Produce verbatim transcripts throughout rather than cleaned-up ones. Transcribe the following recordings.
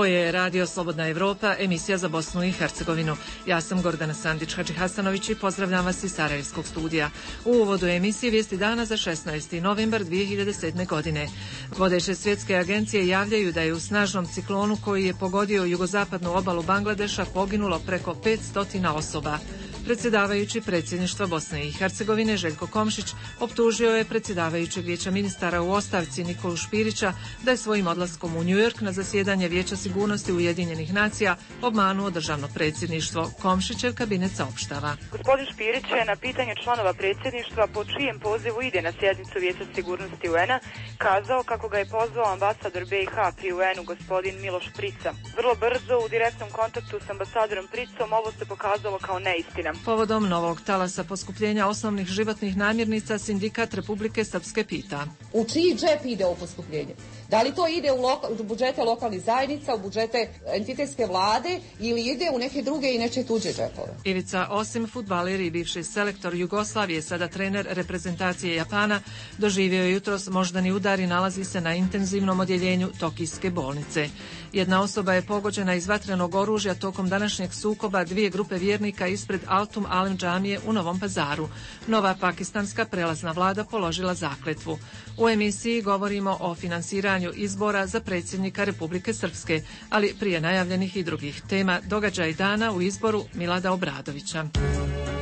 je Radio Slobodna Evropa, emisija za Bosnu i Hercegovinu. Ja sam Gordana Sandić-Hadži Hasanović i pozdravljam vas iz Sarajevskog studija. U uvodu emisije vijesti dana za šesnaesti novembar dvije hiljade sedme. godine. Vodeće svjetske agencije javljaju da je u snažnom ciklonu koji je pogodio jugozapadnu obalu Bangladeša poginulo preko petsto osoba. Predsjedavajući predsjedništva Bosne i Hercegovine Željko Komšić optužio je predsjedavajućeg vijeća ministara u ostavci Nikolu Špirića da je svojim odlaskom u New York na zasjedanje Vijeća sigurnosti Ujedinjenih nacija obmanuo državno predsjedništvo. Komšićev kabinet saopštava. Gospodin Špirić je na pitanje članova predsjedništva po čijem pozivu ide na sjednicu Vijeća sigurnosti U N-a kazao kako ga je pozvao ambasador B i H pri U N-u gospodin Miloš Prica. Vrlo brzo u direktnom kontaktu s ambasadorom Pricom ovo se pokazalo kao neistina. Povodom novog talasa poskupljenja osnovnih životnih namirnica Sindikat Republike Srpske pita. U čiji džep ide ovo poskupljenje? Da li to ide u, loka, u budžete lokalnih zajednica, u budžete entitetske vlade ili ide u neke druge i neče tuđe džepove? Ivica Osim, fudbaler i bivši selektor Jugoslavije, sada trener reprezentacije Japana, doživio je jutros moždani udar i nalazi se na intenzivnom odjeljenju Tokijske bolnice. Jedna osoba je pogođena iz vatrenog oružja tokom današnjeg sukoba dvije grupe vjernika ispred Altum Alem džamije u Novom Pazaru. Nova pakistanska prelazna vlada položila zakletvu. U emisiji govorimo o finansiranju izbora za predsjednika Republike Srpske, ali prije najavljenih i drugih tema događaj dana u izboru Milada Obradovića.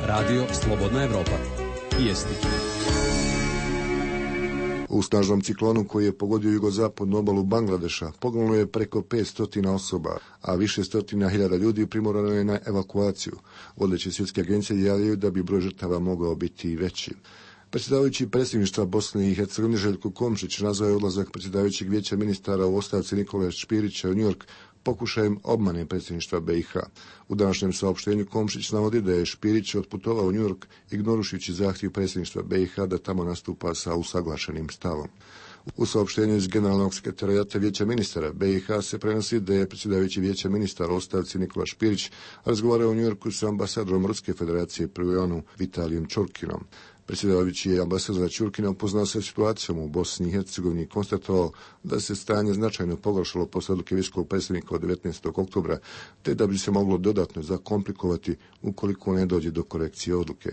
Radio Slobodna Evropa. Vijesti. U snažnom ciklonu koji je pogodio jugozapadnu obalu Bangladeša poginulo je preko petsto osoba, a više stotina hiljada ljudi primorano je na evakuaciju. Vodeće svjetske agencije javljaju da bi broj žrtava mogao biti i veći. Predsjedavajući predsjedništva Bosne i Hercegovine Željko Komšić nazvao je odlazak predsjedavajućeg vijeća ministara u ostavci Nikole Špirića u New York pokušajem obmane predsjedništva B i H. U današnjem saopštenju Komšić navodi da je Špirić otputovao u New York ignorujući zahtjev predsjedništva B i H da tamo nastupa sa usaglašenim stavom. U saopštenju iz generalnog sekretarijata vijeća ministara B i H se prenosi da je predsjedavajući vijeća ministara u ostavci Nikola Špirić razgovarao u New Yorku sa ambasadorom Ruske federacije pri U N-u Vitalijem Čurkinom. Predsjedavajući je ambasador Čurkina upoznao se situacijom u Bosni i Hercegovini i konstatovao da se stanje značajno pogoršalo posle odluke visokog predsjednika od devetnaestog oktobra, te da bi se moglo dodatno zakomplikovati ukoliko ne dođe do korekcije odluke.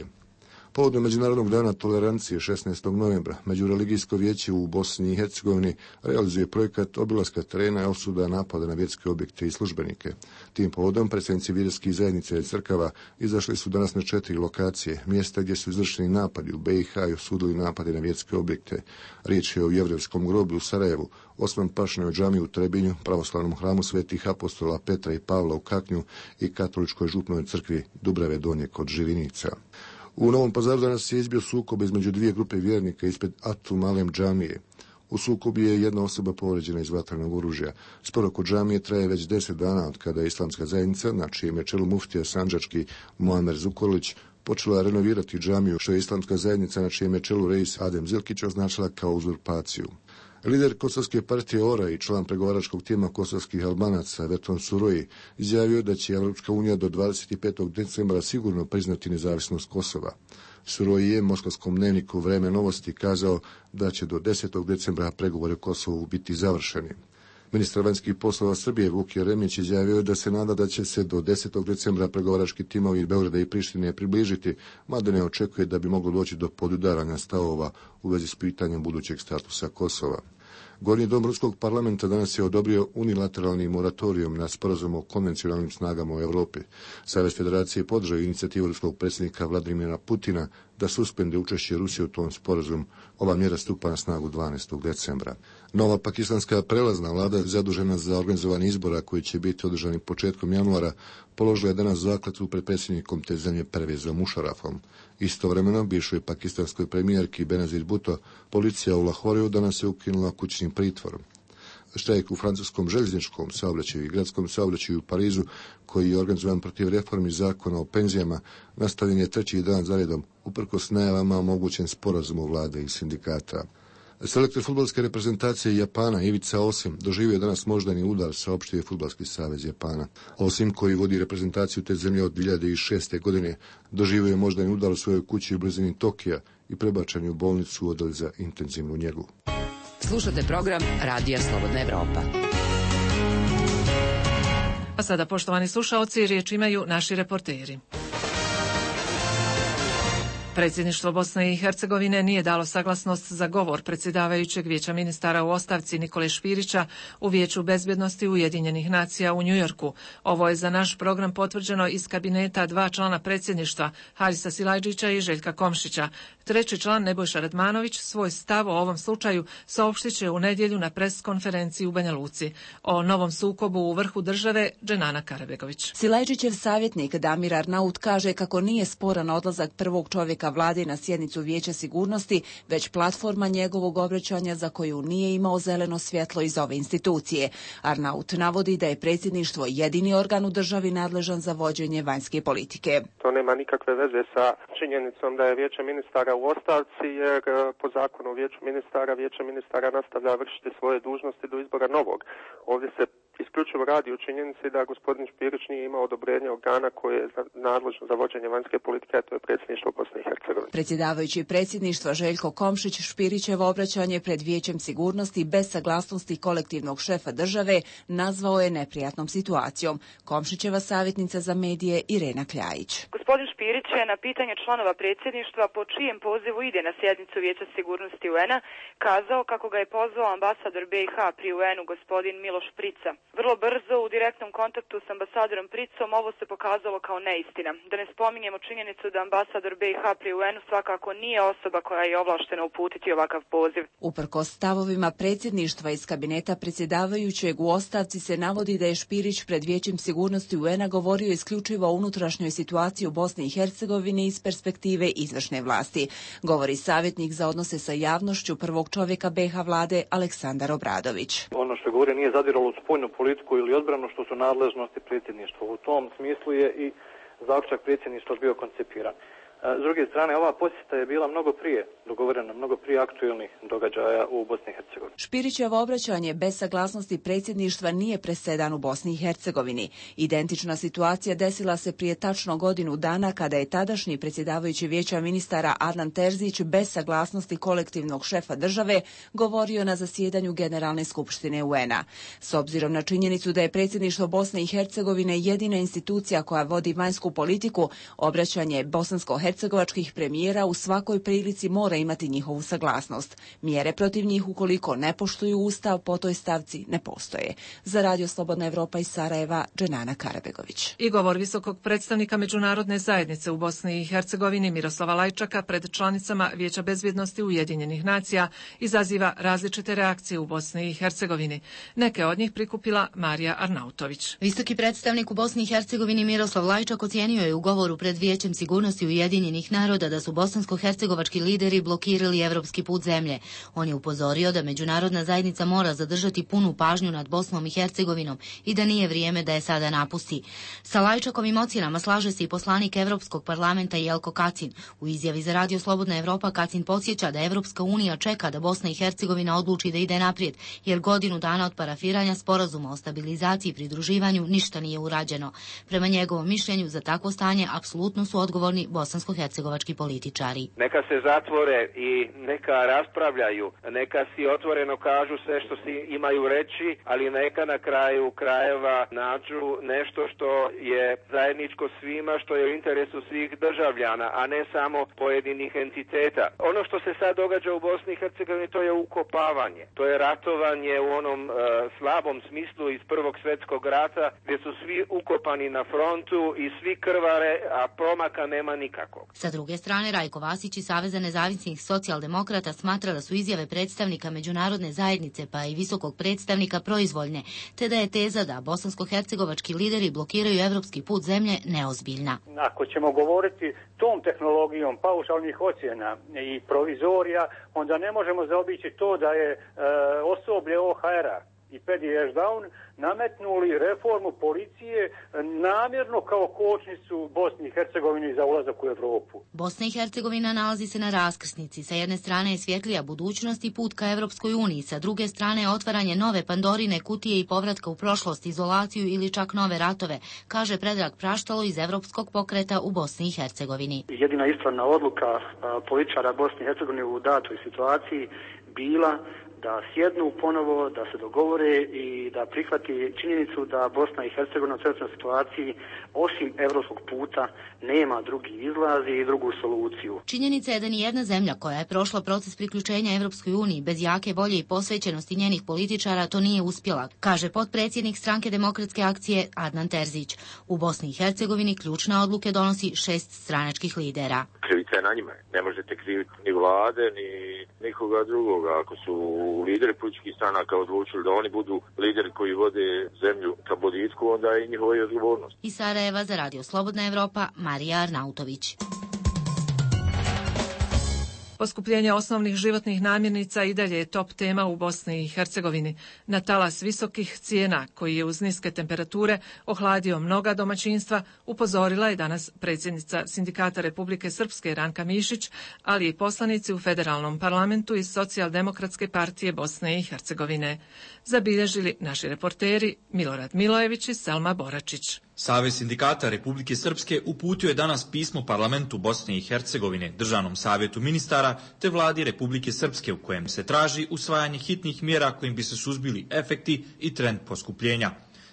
Povodom Međunarodnog dana tolerancije šesnaestog novembra Međureligijsko vijeće u Bosni i Hercegovini realizuje projekat obilaska terena i osuda napada na vjerske objekte i službenike. Tim povodom predstavnici vjerskih zajednica i crkava izašli su danas na četiri lokacije, mjesta gdje su izvršeni napadi u B i H i osudili napade na vjerske objekte. Riječ je o Jevrejskom groblju u Sarajevu, Osman Pašinovoj džamiji u Trebinju, pravoslavnom hramu svetih apostola Petra i Pavla u Kaknju i katoličkoj župnoj crkvi Dubrave Donje kod Živinica. U Novom Pazaru danas je izbio sukob između dvije grupe vjernika ispred Atum Alem džamije. U sukobu je jedna osoba povređena iz vatrenog oružja. Spor oko džamije traje već deset dana od kada je islamska zajednica, na čijem je čelu muftija sandžački Muamer Zukorlić, počela renovirati džamiju, što je islamska zajednica na čijem je čelu reis Adem Zilkić označila kao uzurpaciju. Lider kosovske partije O R A i član pregovaračkog tima kosovskih Albanaca Veton Suroji izjavio da će Evropska unija do dvadeset petog decembra sigurno priznati nezavisnost Kosova. Suroji je moskovskom dnevniku Vreme novosti kazao da će do desetog decembra pregovori o Kosovu biti završeni. Ministar vanjskih poslova Srbije Vuk Jeremić izjavio da se nada da će se do desetog decembra pregovarački timovi Beograda i Prištine približiti, mada ne očekuje da bi moglo doći do podudaranja stavova u vezi s pitanjem budućeg statusa Kosova. Gornji dom Ruskog parlamenta danas je odobrio unilateralni moratorijum na sporazum o konvencionalnim snagama u Europi. Savez federacije podržao inicijativu ruskog predsjednika Vladimira Putina da suspende učešće Rusije u tom sporazumu. Ova mjera stupa na snagu dvanaestog decembra. Nova pakistanska prelazna vlada zadužena za organizovanje izbora koji će biti održani početkom januara položila je danas zakletvu pred predsjednikom te zemlje Pervezom Mušarafom. Istovremeno bivšoj pakistanskoj premijerki Benazir Bhutto policija u Lahoreu danas je ukinula kućnim pritvorom. Štrajk u francuskom željezničkom saobraćaju i gradskom saobraćaju u Parizu, koji je organizovan protiv reformi zakona o penzijama, nastavljen je treći dan zaredom, uprkos najavama o mogućem sporazumu vlade i sindikata. Selektor fudbalske reprezentacije Japana Ivica Osim doživio je danas moždani udar, saopštio je Fudbalski savez Japana. Osim, koji vodi reprezentaciju te zemlje od dvije hiljade šeste. godine, doživio je moždani udar u svojoj kući u blizini Tokija i prebačen je u bolnicu u odjel za intenzivnu njegu. Slušate program Radija Slobodna Evropa. A sada, poštovani slušaoci, riječ imaju naši reporteri. Predsjedništvo Bosne i Hercegovine nije dalo saglasnost za govor predsjedavajućeg Vijeća ministara u ostavci Nikole Špirića u Vijeću bezbjednosti Ujedinjenih nacija u Njujorku. Ovo je za naš program potvrđeno iz kabineta dva člana predsjedništva, Harisa Silajdžića i Željka Komšića. Treći član, Nebojša Radmanović, svoj stav o ovom slučaju saopštit će u nedjelju na pres konferenciji u Banja Luci. O novom sukobu u vrhu države, Dženana Karabegović. Silajdžićev savjetnik Damir Arnaut kaže kako nije sporan odlazak prvog čovjeka vlade na sjednicu Vijeća sigurnosti, već platforma njegovog obraćanja za koju nije imao zeleno svjetlo iz ove institucije. Arnaut navodi da je predsjedništvo jedini organ u državi nadležan za vođenje vanjske politike. To nema nikakve veze sa činjenicom da je Vijeće ministara u ostavci, jer po zakonu o Vijeću ministara, Vijeće ministara nastavlja vršiti svoje dužnosti do izbora novog. Ovdje se isključivo radi o činjenici da gospodin Špirić nije imao odobrenje organa koje je nadležno za vođenje vanjske politike, a to je predsjedništvo Bosne i Hercegovine. Predsjedavajući predsjedništva Željko Komšić Špirićevo obraćanje pred Vijećem sigurnosti bez saglasnosti kolektivnog šefa države nazvao je neprijatnom situacijom. Komšićeva savjetnica za medije Irena Kljajić. Gospodin Špirić je na pitanje članova predsjedništva po čijem pozivu ide na sjednicu Vijeća sigurnosti U N-a kazao kako ga je pozvao ambasador B i H pri U N-u gospodin Miloš Prica. Vrlo brzo u direktnom kontaktu s ambasadorom Pricom ovo se pokazalo kao neistina. Da ne spominjemo činjenicu da ambasador B i H pri U N-u svakako nije osoba koja je ovlaštena uputiti ovakav poziv. Uprkos stavovima predsjedništva iz kabineta predsjedavajućeg u ostavci se navodi da je Špirić pred Vijećem sigurnosti U N-a govorio isključivo o unutrašnjoj situaciji u Bosni i Hercegovini iz perspektive izvršne vlasti. Govori savjetnik za odnose sa javnošću prvog čovjeka B i H vlade Aleksandar Obradović. Ono što govori nije zadiralo u spoljnu politiku ili odbranu, što su nadležnosti predsjedništva. U tom smislu je i zaključak predsjedništva bio koncipiran. S druge strane, ova posjeta je bila mnogo prije dogovorena, mnogo prije aktuelnih događaja u Bosni i Hercegovini. Špirićevo obraćanje bez saglasnosti predsjedništva nije presedan u Bosni i Hercegovini. Identična situacija desila se prije tačno godinu dana kada je tadašnji predsjedavajući Vijeća ministara Adnan Terzić bez saglasnosti kolektivnog šefa države govorio na zasjedanju Generalne skupštine U N-a. S obzirom na činjenicu da je predsjedništvo Bosne i Hercegovine jedina institucija koja vodi vanjsku politiku, obraćanje bosansko-hercegovačkih hercegovačkih premijera u svakoj prilici mora imati njihovu saglasnost. Mjere protiv njih ukoliko ne poštuju ustav po toj stavci ne postoje. Za Radio Slobodna Evropa iz Sarajeva, Dženana Karabegović. I govor visokog predstavnika međunarodne zajednice u Bosni i Hercegovini Miroslava Lajčaka pred članicama Vijeća bezbjednosti Ujedinjenih nacija izaziva različite reakcije u Bosni i Hercegovini. Neke od njih prikupila Marija Arnautović. Visoki predstavnik u Bosni i Hercegovini Miroslav Lajčak ocijenio je u govoru pred Vijećem sigurnosti Ujedinjenih naroda da su bosansko-hercegovački lideri blokirali evropski put zemlje. On je upozorio da međunarodna zajednica mora zadržati punu pažnju nad Bosnom i Hercegovinom i da nije vrijeme da je sada napusti. Sa Lajčakovim ocjenama slaže se i poslanik Evropskog parlamenta Jelko Kacin. U izjavi za Radio Slobodna Evropa Kacin podsjeća da Evropska unija čeka da Bosna i Hercegovina odluči da ide naprijed, jer godinu dana od parafiranja sporazuma o stabilizaciji i pridruživanju ništa nije urađeno. Prema njegovom mišljenju za takvo stanje apsolutno su odgovorni bosansko-hercegovački političari. Neka se zatvore i neka raspravljaju, neka si otvoreno kažu sve što si imaju reći, ali neka na kraju krajeva nađu nešto što je zajedničko svima, što je u interesu svih državljana, a ne samo pojedinih entiteta. Ono što se sad događa u Bosni i Hercegovini, to je ukopavanje. To je ratovanje u onom uh, slabom smislu iz Prvog svjetskog rata, gdje su svi ukopani na frontu i svi krvare, a pomaka nema nikakvog. Sa druge strane, Rajko Vasić iz Saveza nezavisnih socijaldemokrata smatra da su izjave predstavnika međunarodne zajednice pa i visokog predstavnika proizvoljne, te da je teza da bosansko-hercegovački lideri blokiraju evropski put zemlje neozbiljna. Ako ćemo govoriti tom tehnologijom paušalnih ocjena i provizorija, onda ne možemo zaobići to da je e, osoblje O H R-a i Pedi Ešdaun nametnuli reformu policije namjerno kao kočnicu Bosni i Hercegovini za ulazak u Evropu. Bosna i Hercegovina nalazi se na raskrsnici. Sa jedne strane je svjetlija budućnost i put ka Evropskoj uniji, sa druge strane je otvaranje nove Pandorine kutije i povratka u prošlost, izolaciju ili čak nove ratove, kaže Predrag Praštalo iz Evropskog pokreta u Bosni i Hercegovini. Jedina ispravna odluka političara Bosne i Hercegovine u datoj situaciji bila da sjednu ponovo, da se dogovore i da prihvati činjenicu da Bosna i Hercegovina u trenutnoj situaciji osim evropskog puta nema drugi izlaz i drugu soluciju. Činjenica je da ni jedna zemlja koja je prošla proces priključenja Evropskoj uniji bez jake volje i posvećenosti njenih političara to nije uspjela, kaže potpredsjednik Stranke demokratske akcije Adnan Terzić. U Bosni i Hercegovini ključne odluke donosi šest stranačkih lidera. Krivica je na njima. Ne možete kriviti ni vlade, ni nikoga drugoga. Ako su lideri političkih stranaka odlučili da oni budu lideri koji vode zemlju ka boljitku, onda je njihova odgovornost. Iz Sarajeva za Radio Slobodna Evropa, Marija Arnautović. Poskupljenje osnovnih životnih namirnica i dalje je top tema u Bosni i Hercegovini. Na talas visokih cijena, koji je uz niske temperature ohladio mnoga domaćinstva, upozorila je danas predsjednica Sindikata Republike Srpske Ranka Mišić, ali i poslanici u federalnom parlamentu iz Socijaldemokratske partije Bosne i Hercegovine. Zabilježili naši reporteri Milorad Milojević i Selma Boračić. Savez sindikata Republike Srpske uputio je danas pismo parlamentu Bosne i Hercegovine, Državnom savjetu ministara te vladi Republike Srpske u kojem se traži usvajanje hitnih mjera kojim bi se suzbili efekti i trend poskupljenja.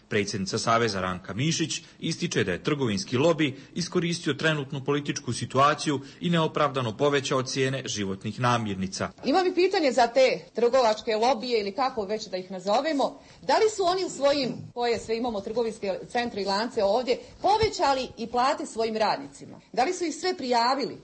Predsjednica Saveza Ranka Mišić ističe da je trgovinski lobi iskoristio trenutnu političku situaciju i neopravdano povećao cijene životnih namirnica. Imam i pitanje za te trgovačke lobije ili kako već da ih nazovemo. Da li su oni u svojim, koje sve imamo trgovinske centre i lance ovdje, povećali i plate svojim radnicima? Da li su ih sve prijavili?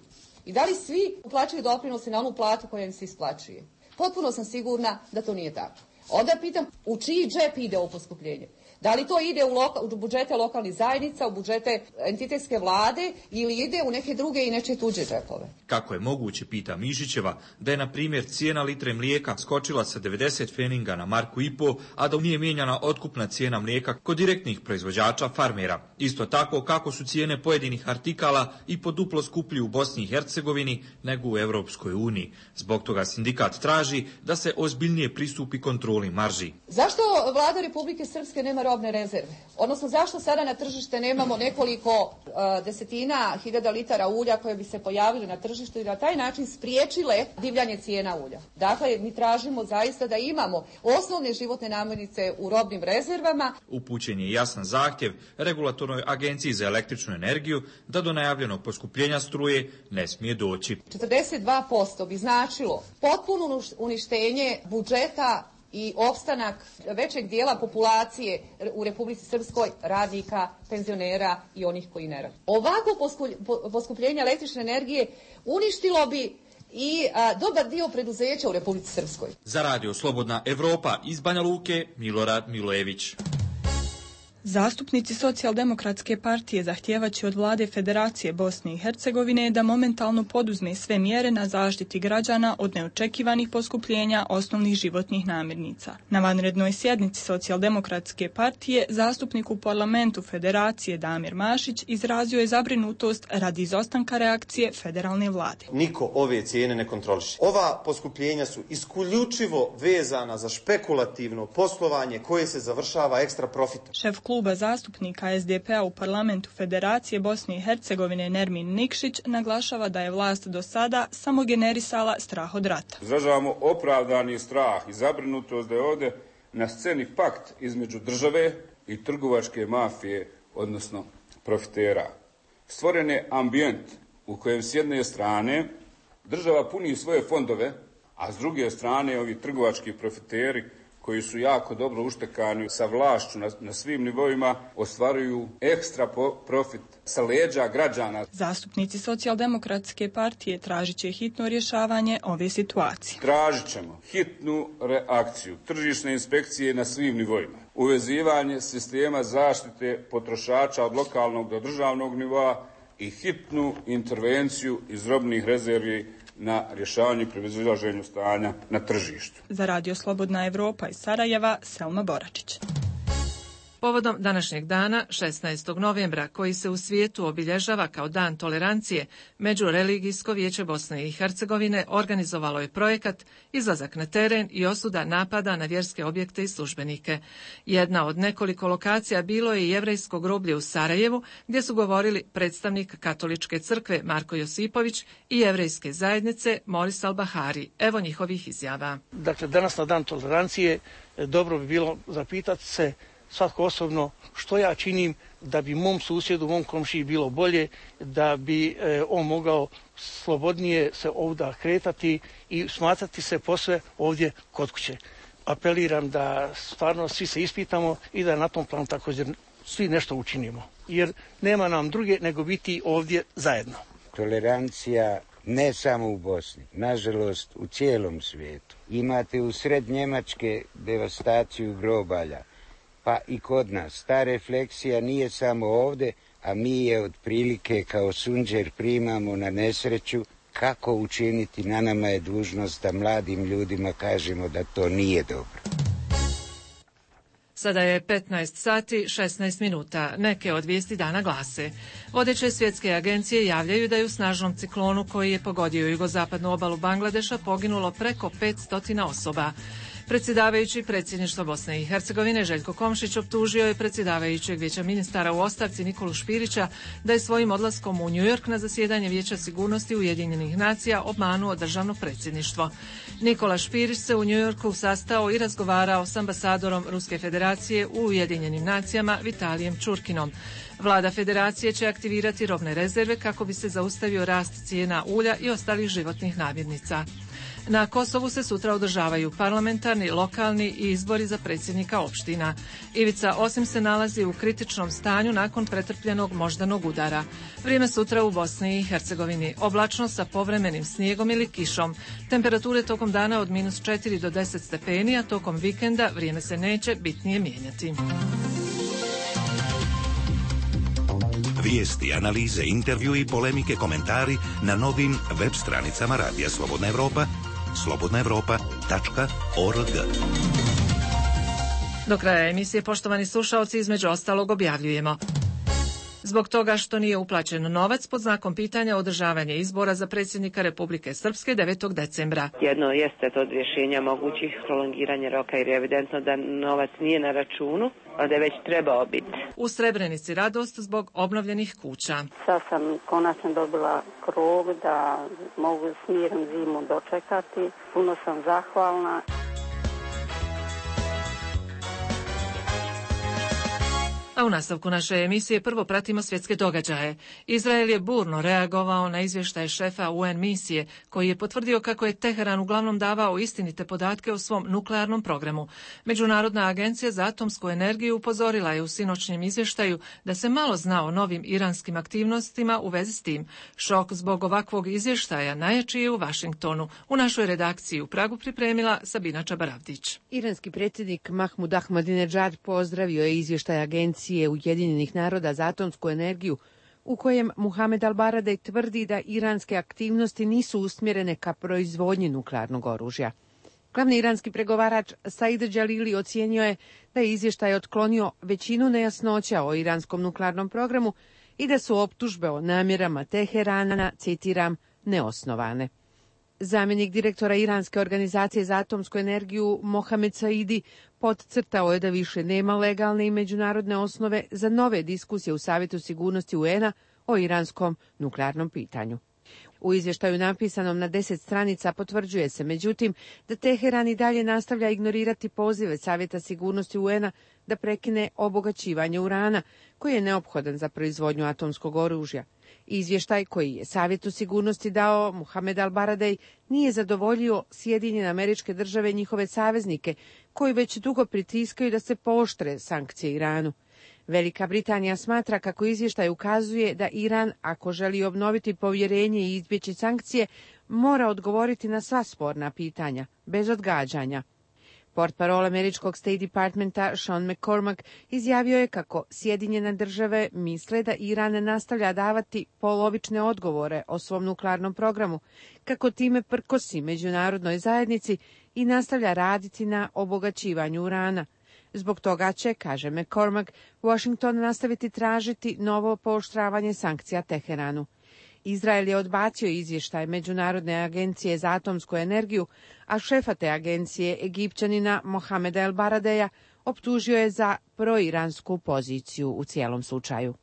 I da li svi uplaćuju doprinose na onu platu koja im se isplaćuje? Potpuno sam sigurna da to nije tako. Onda pitam, u čiji džep ide ovo poskupljenje? Da li to ide u, loka, u budžete lokalnih zajednica, u budžete entitetske vlade ili ide u neke druge i nečije tuđe džepove? Kako je moguće, pita Mišićeva, da je na primjer cijena litre mlijeka skočila sa devedeset feninga na marku i po, a da nije mijenjana otkupna cijena mlijeka kod direktnih proizvođača farmera. Isto tako kako su cijene pojedinih artikala i po duplo skuplji u Bosni i Hercegovini nego u Europskoj uniji. Zbog toga sindikat traži da se ozbiljnije pristupi kontroli marži. Zašto vlada Republike Srpske nema robne rezerve? Odnosno, zašto sada na tržište nemamo nekoliko uh, desetina hiljada litara ulja koje bi se pojavili na tržištu i na taj način spriječile divljanje cijena ulja? Dakle, mi tražimo zaista da imamo osnovne životne namirnice u robnim rezervama. Upućen je jasan zahtjev Regulatornoj agenciji za električnu energiju da do najavljenog poskupljenja struje ne smije doći. četrdeset dva posto bi značilo potpuno uništenje budžeta i opstanak većeg dijela populacije u Republici Srpskoj, radnika, penzionera i onih koji ne rade. Ovako poskupljenje električne energije uništilo bi i a, dobar dio preduzeća u Republici Srpskoj. Za Radio Slobodna Evropa iz Banja Luke, Milorad Milojević. Zastupnici Socijaldemokratske partije zahtijevaće od vlade Federacije Bosne i Hercegovine da momentalno poduzme sve mjere na zaštiti građana od neočekivanih poskupljenja osnovnih životnih namirnica. Na vanrednoj sjednici Socijaldemokratske partije zastupnik u parlamentu Federacije Damir Mašić izrazio je zabrinutost radi izostanka reakcije federalne vlade. Niko ove cijene ne kontroliše. Ova poskupljenja su isključivo vezana za špekulativno poslovanje koje se završava ekstra profitom. Šef kluba zastupnika es de pe a u parlamentu Federacije Bosne i Hercegovine Nermin Nikšić naglašava da je vlast do sada samo generisala strah od rata. Izražavamo opravdani strah i zabrinutost da je ovdje na sceni pakt između države i trgovačke mafije, odnosno profitera. Stvoren je ambijent u kojem s jedne strane država puni svoje fondove, a s druge strane ovi trgovački profiteri koji su jako dobro uštekani sa vlašću na, na svim nivoima, ostvaruju ekstra profit sa leđa građana. Zastupnici Socijaldemokratske partije tražit će hitno rješavanje ove situacije. Tražit ćemo hitnu reakciju tržišne inspekcije na svim nivoima, uvezivanje sistema zaštite potrošača od lokalnog do državnog nivoa i hitnu intervenciju iz robnih rezervi na rješavanju i prevazilaženju stanja na tržištu. Za Radio Slobodna Evropa iz Sarajeva, Selma Boračić. Povodom današnjeg dana, šesnaestog novembra, koji se u svijetu obilježava kao Dan tolerancije, Međureligijsko vijeće Bosne i Hercegovine organizovalo je projekat Izlazak na teren i osuda napada na vjerske objekte i službenike. Jedna od nekoliko lokacija bilo je i jevrejsko groblje u Sarajevu, gdje su govorili predstavnik Katoličke crkve Marko Josipović i jevrejske zajednice Moris Al-Bahari. Evo njihovih izjava. Dakle, danas na Dan tolerancije dobro bi bilo zapitati se svatko osobno što ja činim da bi mom susjedu, mom komšiji bilo bolje, da bi e, on mogao slobodnije se ovdje kretati i smatrati se posve ovdje kod kuće. Apeliram da stvarno svi se ispitamo i da na tom planu također svi nešto učinimo, jer nema nam druge nego biti ovdje zajedno. Tolerancija ne samo u Bosni, nažalost u cijelom svijetu. Imate u sred Njemačke devastaciju grobalja, pa i kod nas. Ta refleksija nije samo ovdje, a mi je otprilike kao sunđer primamo na nesreću. Kako učiniti? Na nama je dužnost da mladim ljudima kažemo da to nije dobro. Sada je petnaest sati šesnaest minuta. Neke od vijesti dana glase. Vodeće svjetske agencije javljaju da je u snažnom ciklonu koji je pogodio jugozapadnu obalu Bangladeša poginulo preko petsto osoba. Predsjedavajući predsjedništva Bosne i Hercegovine Željko Komšić optužio je predsjedavajućeg vijeća ministara u ostavci Nikolu Špirića da je svojim odlaskom u New York na zasjedanje Vijeća sigurnosti Ujedinjenih nacija obmanuo državno predsjedništvo. Nikola Špirić se u New Yorku sastao i razgovarao s ambasadorom Ruske federacije u Ujedinjenim nacijama Vitalijem Čurkinom. Vlada federacije će aktivirati robne rezerve kako bi se zaustavio rast cijena ulja i ostalih životnih namirnica. Na Kosovu se sutra održavaju parlamentarni, lokalni i izbori za predsjednika opština. Ivica Osim se nalazi u kritičnom stanju nakon pretrpljenog moždanog udara. Vrijeme sutra u Bosni i Hercegovini. Oblačno sa povremenim snijegom ili kišom. Temperature tokom dana od minus četiri do deset stepeni, a tokom vikenda vrijeme se neće bitnije mijenjati. Vijesti, analize, intervju i polemike, komentari na novim web stranicama Radija Slobodna Evropa, slobodna evropa tačka org. Do kraja emisije, poštovani slušaoci, između ostalog objavljujemo. Zbog toga što nije uplaćen novac, pod znakom pitanja održavanje izbora za predsjednika Republike Srpske devetog decembra. Jedno jeste od rješenja mogućih prolongiranja roka jer je evidentno da novac nije na računu, a da je već trebao biti. U Srebrenici radost zbog obnovljenih kuća. Sad sam konačno dobila krov da mogu s mirom zimu dočekati. Puno sam zahvalna. A u nastavku naše emisije prvo pratimo svjetske događaje. Izrael je burno reagovao na izvještaj šefa U N misije, koji je potvrdio kako je Teheran uglavnom davao istinite podatke o svom nuklearnom programu. Međunarodna agencija za atomsku energiju upozorila je u sinoćnjem izvještaju da se malo zna o novim iranskim aktivnostima u vezi s tim. Šok zbog ovakvog izvještaja najjači je u Vašingtonu. U našoj redakciji u Pragu pripremila Sabina Čabaravdić. Iranski predsjednik Mahmud Ahmadinejad pozdravio je izvještaj agencije Ujedinjenih naroda za atomsku energiju, u kojem Muhamed Al-Baradej tvrdi da iranske aktivnosti nisu usmjerene ka proizvodnji nuklearnog oružja. Glavni iranski pregovarač Said Jalili ocijenio je da je izvještaj otklonio većinu nejasnoća o iranskom nuklearnom programu i da su optužbe o namjerama Teherana, citiram, neosnovane. Zamjenik direktora Iranske organizacije za atomsku energiju Mohamed Saidi podcrtao je da više nema legalne i međunarodne osnove za nove diskusije u Savjetu sigurnosti U N a o iranskom nuklearnom pitanju. U izvještaju napisanom na deset stranica potvrđuje se, međutim, da Teheran i dalje nastavlja ignorirati pozive Savjeta sigurnosti U N a da prekine obogaćivanje urana, koji je neophodan za proizvodnju atomskog oružja. Izvještaj koji je Savjetu sigurnosti dao Muhamed Al-Baradej nije zadovoljio Sjedinjene Američke Države i njihove saveznike, koji već dugo pritiskaju da se pooštre sankcije Iranu. Velika Britanija smatra kako izvještaj ukazuje da Iran, ako želi obnoviti povjerenje i izbjeći sankcije, mora odgovoriti na sva sporna pitanja, bez odgađanja. Portparol američkog State Departmenta Sean McCormack izjavio je kako Sjedinjene Države misle da Iran nastavlja davati polovične odgovore o svom nuklearnom programu, kako time prkosi međunarodnoj zajednici i nastavlja raditi na obogaćivanju urana. Zbog toga će, kaže McCormack, Washington nastaviti tražiti novo pooštravanje sankcija Teheranu. Izrael je odbacio izvještaj Međunarodne agencije za atomsku energiju, a šefa te agencije, Egipćanina Mohameda El Baradeja, optužio je za proiransku poziciju u cijelom slučaju.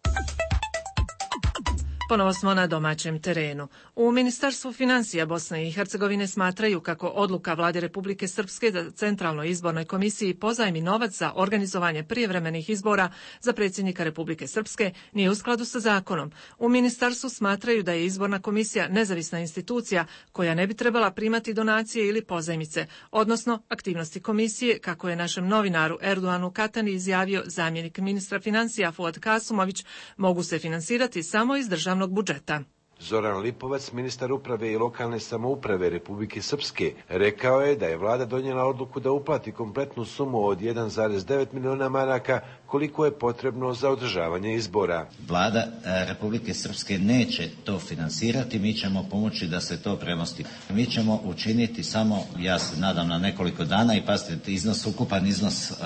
Ponovo smo na domaćem terenu. U Ministarstvu financija Bosne i Hercegovine smatraju kako odluka Vlade Republike Srpske da Centralnoj izbornoj komisiji pozajmi novac za organizovanje prijevremenih izbora za predsjednika Republike Srpske nije u skladu sa zakonom. U ministarstvu smatraju da je izborna komisija nezavisna institucija koja ne bi trebala primati donacije ili pozajmice, odnosno aktivnosti komisije, kako je našem novinaru Erdoanu Katani izjavio zamjenik ministra financija Fuad Kasumović, mogu se finansirati samo iz državnog budžeta. Zoran Lipovac, ministar uprave i lokalne samouprave Republike Srpske, rekao je da je vlada donijela odluku da uplati kompletnu sumu od jedan zarez devet miliona maraka koliko je potrebno za održavanje izbora. Vlada Republike Srpske neće to finansirati, mi ćemo pomoći da se to premosti. Mi ćemo učiniti samo, ja se nadam, na nekoliko dana i pazite, iznos, ukupan iznos uh,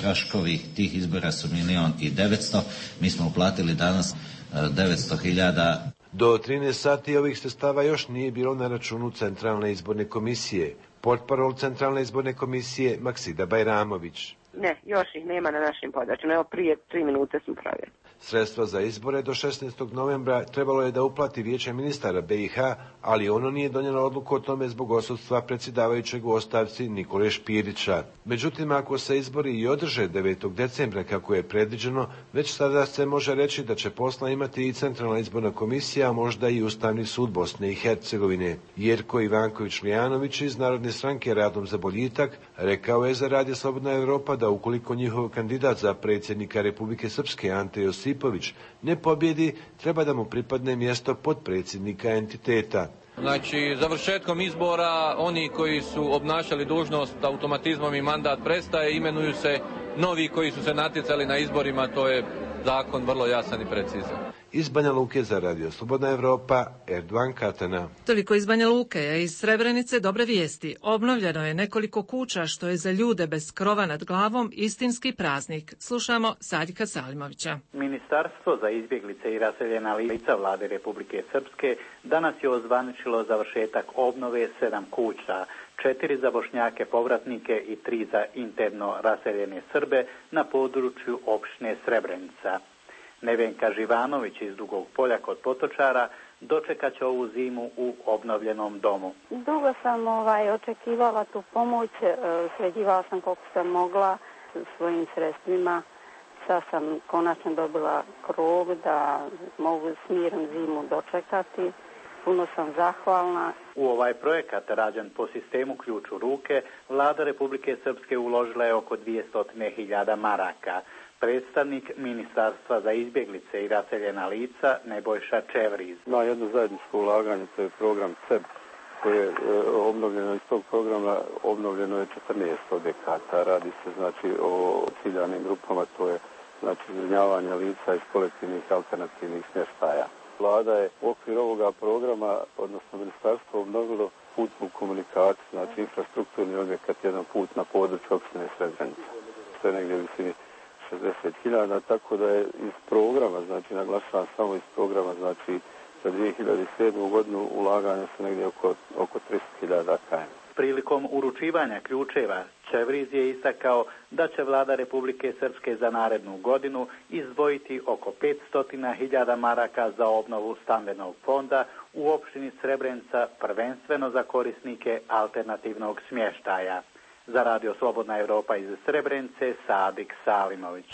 troškovi tih izbora su milion i devetsto, mi smo uplatili danas devetsto hiljada. Do trinaest sati ovih sredstava još nije bilo na računu Centralne izborne komisije. Portparol Centralne izborne komisije Maksida Bajramović. Ne, još ih nema na našim podacima. Evo prije tri minute smo provjerili. Sredstva za izbore do šesnaestog novembra trebalo je da uplati Vijeće ministara B i H, ali ono nije donijelo odluku o tome zbog odsustva predsjedavajućeg u ostavci Nikole Špirića. Međutim, ako se izbori i održe devetog decembra kako je predviđeno, već sada se može reći da će posla imati i Centralna izborna komisija, a možda i Ustavni sud Bosne i Hercegovine. Jerko Ivanković-Lijanović iz Narodne stranke Radom za boljitak rekao je za Radio Slobodna Evropa da ukoliko njihov kandidat za predsjednika Republike Srpske Ante Josipović ne pobjedi, treba da mu pripadne mjesto potpredsjednika entiteta. Znači, završetkom izbora oni koji su obnašali dužnost automatizmom i mandat prestaje, imenuju se novi koji su se natjecali na izborima, to je zakon vrlo jasan i precizan. Iz Banja Luke za Radio Slobodna Evropa, Erdogan Katana. Toliko iz Banja Luke, a iz Srebrenice dobre vijesti. Obnovljeno je nekoliko kuća što je za ljude bez krova nad glavom istinski praznik. Slušamo Sadika Salimovića. Ministarstvo za izbjeglice i raseljena lica Vlade Republike Srpske danas je ozvaničilo završetak obnove sedam kuća, četiri za Bošnjake povratnike i tri za interno raseljene Srbe na području opštine Srebrenica. Nevenka Živanović iz Dugog Polja kod Potočara dočekat će ovu zimu u obnovljenom domu. Dugo sam ovaj, očekivala tu pomoć, sređivala sam koliko sam mogla svojim sredstvima. Sad sam konačno dobila krov da mogu s mirom zimu dočekati. Puno sam zahvalna. U ovaj projekat, rađen po sistemu ključ u ruke, Vlada Republike Srpske uložila je oko dvjesto hiljada maraka. Predstavnik Ministarstva za izbjeglice i raseljena lica Nebojša Čevriz. Na jedno zajedničko ulaganje, to je program C E B, koje je obnovljeno iz tog programa, obnovljeno je četrnaest objekata. Radi se znači o ciljanim grupama, to je znači zbrinjavanje lica iz kolektivnih alternativnih smještaja. Vlada je u okviru ovoga programa, odnosno ministarstvo, obnovilo putnu komunikaciju, znači infrastrukturni objekat, jedan put na području opštine Srebrenica. To je negdje u visini šezdeset hiljada, tako da je iz programa, znači naglašavam samo iz programa, znači za dvije hiljade sedmu godinu ulaganja su negdje oko, oko tristo hiljada km. Prilikom uručivanja ključeva Čevriz je istakao da će Vlada Republike Srpske za narednu godinu izdvojiti oko petsto hiljada maraka za obnovu stambenog fonda u opštini Srebrenica, prvenstveno za korisnike alternativnog smještaja. Za Radio Slobodna Evropa iz Srebrenice, Sadik Salimović.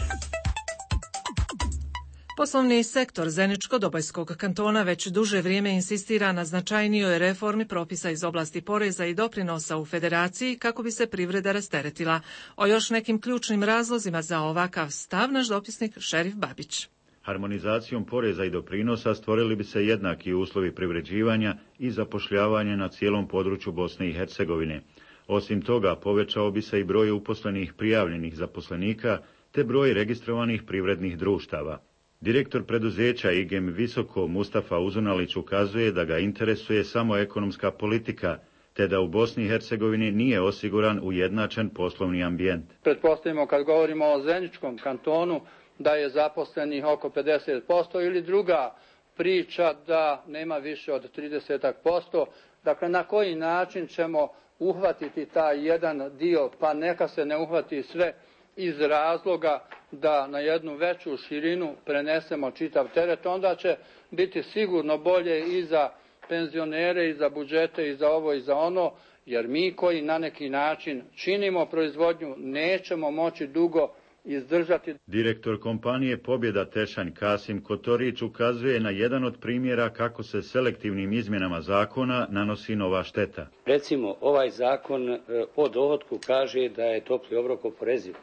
Poslovni sektor Zeničko-Dobojskog kantona već duže vrijeme insistira na značajnijoj reformi propisa iz oblasti poreza i doprinosa u federaciji kako bi se privreda rasteretila. O još nekim ključnim razlozima za ovakav stav naš dopisnik Šerif Babić. Harmonizacijom poreza i doprinosa stvorili bi se jednaki uslovi privređivanja i zapošljavanja na cijelom području Bosne i Hercegovine. Osim toga, povećao bi se i broj uposlenih prijavljenih zaposlenika te broj registrovanih privrednih društava. Direktor preduzeća I G E M Visoko Mustafa Uzunalić ukazuje da ga interesuje samo ekonomska politika, te da u Bosni i Hercegovini nije osiguran ujednačen poslovni ambijent. Pretpostavimo kad govorimo o Zeničkom kantonu da je zaposlenih oko pedeset posto ili druga priča da nema više od trideset posto. Dakle, na koji način ćemo uhvatiti taj jedan dio, pa neka se ne uhvati sve iz razloga da na jednu veću širinu prenesemo čitav teret, onda će biti sigurno bolje i za penzionere, i za budžete, i za ovo, i za ono, jer mi koji na neki način činimo proizvodnju nećemo moći dugo izdržati. Direktor kompanije Pobjeda Tešanj Kasim Kotorić ukazuje na jedan od primjera kako se selektivnim izmjenama zakona nanosi nova šteta. Recimo, ovaj zakon o dohotku kaže da je topli obrok oporeziv,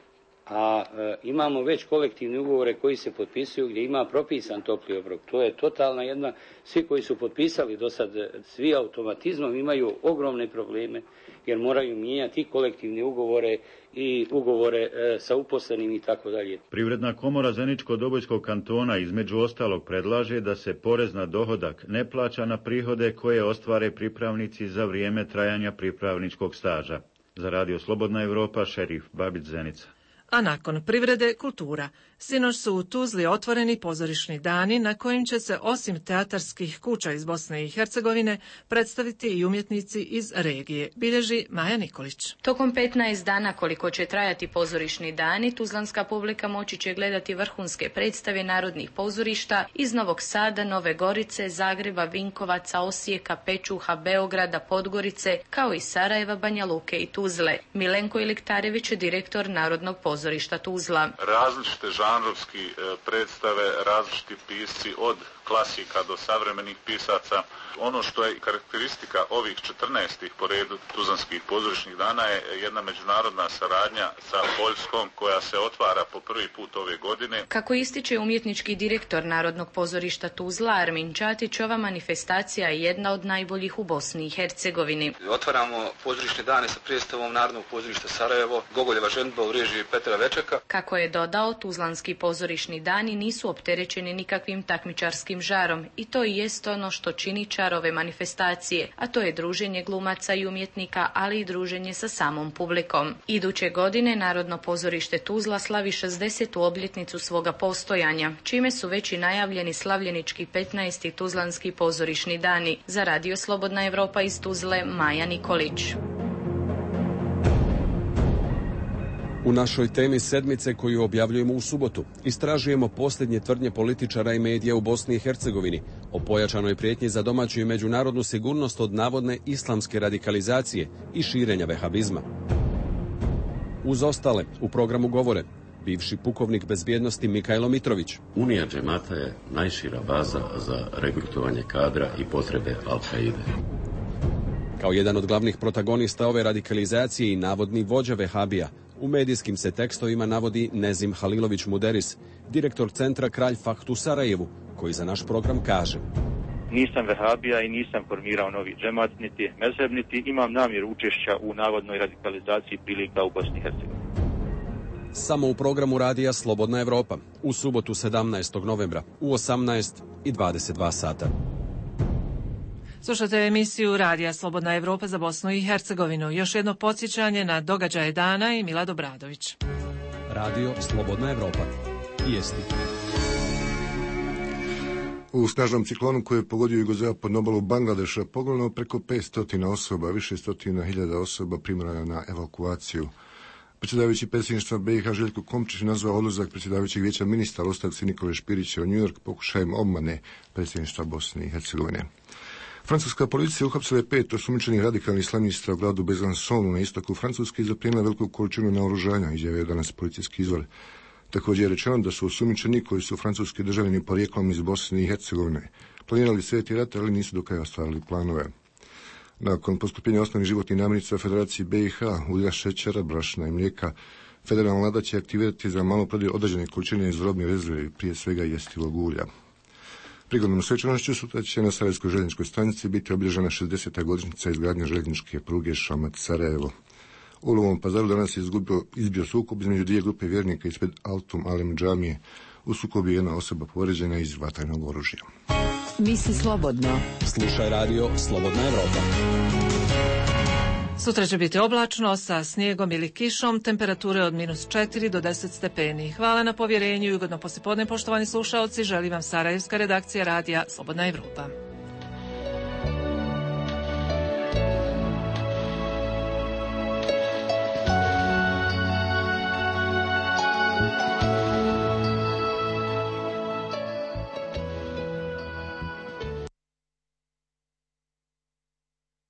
a e, imamo već kolektivne ugovore koji se potpisuju gdje ima propisan topli obrok. To je totalna jedna, svi koji su potpisali do sad, svi automatizmom imaju ogromne probleme jer moraju mijenjati i kolektivne ugovore i ugovore e, sa uposlenim i tako dalje. Privredna komora Zeničko-Dobojskog kantona između ostalog predlaže da se porez na dohodak ne plaća na prihode koje ostvare pripravnici za vrijeme trajanja pripravničkog staža. Za Radio Slobodna Evropa, Šerif Babić, Zenica. A nakon privrede, kultura. Sinoć su u Tuzli otvoreni pozorišni dani na kojim će se osim teatarskih kuća iz Bosne i Hercegovine predstaviti i umjetnici iz regije, bilježi Maja Nikolić. Tokom petnaest dana koliko će trajati pozorišni dani, tuzlanska publika moći će gledati vrhunske predstave narodnih pozorišta iz Novog Sada, Nove Gorice, Zagreba, Vinkovaca, Osijeka, Pečuha, Beograda, Podgorice, kao i Sarajeva, Banja Luke i Tuzle. Milenko Iliktarević je direktor Narodnog pozorišta Tuzla. Različite žanrovski predstave, različiti pisci od klasika do savremenih pisaca. Ono što je karakteristika ovih četrnaestih po redu tuzlanskih pozorišnih dana je jedna međunarodna saradnja sa Poljskom koja se otvara po prvi put ove godine. Kako ističe umjetnički direktor Narodnog pozorišta Tuzla Armin Čatić, ova manifestacija je jedna od najboljih u Bosni i Hercegovini. Otvaramo pozorišne dane sa predstavom Narodnog pozorišta Sarajevo, Gogoljeva ženidba u režiji Petra Večeka. Kako je dodao, tuzlanski pozorišni dani nisu opterećeni nikakvim takmičarskim žarom i to i jest ono što čini čar ove manifestacije, a to je druženje glumaca i umjetnika, ali i druženje sa samom publikom. Iduće godine Narodno pozorište Tuzla slavi šezdesetu obljetnicu svoga postojanja, čime su već i najavljeni slavljenički petnaesti tuzlanski pozorišni dani. Za Radio Slobodna Evropa iz Tuzle, Maja Nikolić. U našoj temi sedmice koju objavljujemo u subotu istražujemo posljednje tvrdnje političara i medija u Bosni i Hercegovini o pojačanoj prijetnji za domaću i međunarodnu sigurnost od navodne islamske radikalizacije i širenja vehabizma. Uz ostale u programu govore bivši pukovnik bezbjednosti Mikajlo Mitrović. Unija džemata je najšira baza za regrutovanje kadra i potrebe Al-Kaide. Kao jedan od glavnih protagonista ove radikalizacije i navodni vođa vehabija, u medijskim se tekstovima navodi Nezim Halilović Muderis, direktor centra Kralj Fahd u Sarajevu, koji za naš program kaže: Nisam vehabija i nisam formirao novi džemat, niti mezheb, niti imam namjeru učešća u navodnoj radikalizaciji prilika u Bosni i Hercegovini. Samo u programu Radija Slobodna Evropa, u subotu sedamnaestog novembra, u osamnaest i dvadeset dva sata. Slušate emisiju Radija Slobodna Evropa za Bosnu i Hercegovinu. Još jedno podsjećanje na događaje dana i Milad Obradović. Radio Slobodna Evropa. Vijesti. U snažnom ciklonu koji je pogodio jugozapadnu obalu Bangladeša poginulo preko petsto osoba, više stotina hiljada osoba primorana na evakuaciju. Predsjedavajući predsjedništva B i H Željko Komčić nazvao odlazak predsjedavajućeg vijeća ministara ostavci Nikole Špirića u New York pokušajem obmane predsjedništva Bosne i Hercegovine. Francuska policija uhapsila je pet osumnjičenih radikalnih islamista u gradu Besançonu na istoku Francuske i zaplijenila veliku količinu naoružanja, izjavio je danas policijski izvor. Također je rečeno da su osumnjičeni koji su francuski državljani porijeklom iz Bosne i Hercegovine planirali sveti rat, ali nisu do kraja ostvarili planove. Nakon poskupljenja osnovnih životnih namirnica Federaciji B i H, ulja, šećera, brašna i mlijeka, federalna vlada će aktivirati za maloprodaju određene količine iz robnih rezervi, prije svega jestivog ulja. Prigodnom svečanošću sutra će na Sarajevskoj željezničkoj stanici biti obilježena šezdeseta godišnjica izgradnje željezničke pruge Šamac-Sarajevo. U Novom Pazaru danas je izgubio, izbio sukob između dvije grupe vjernika ispred Altum Alem džamije. U sukobu je jedna osoba povrijeđena iz vatrenog oružja. Misli slobodno. Slušaj radio Slobodna Evropa. Sutra će biti oblačno sa snijegom ili kišom, temperature od minus četiri do deset stepeni. Hvala na povjerenju i ugodno poslijepodne, poštovani slušaoci. Želim vam sarajevska redakcija radija Slobodna Evropa.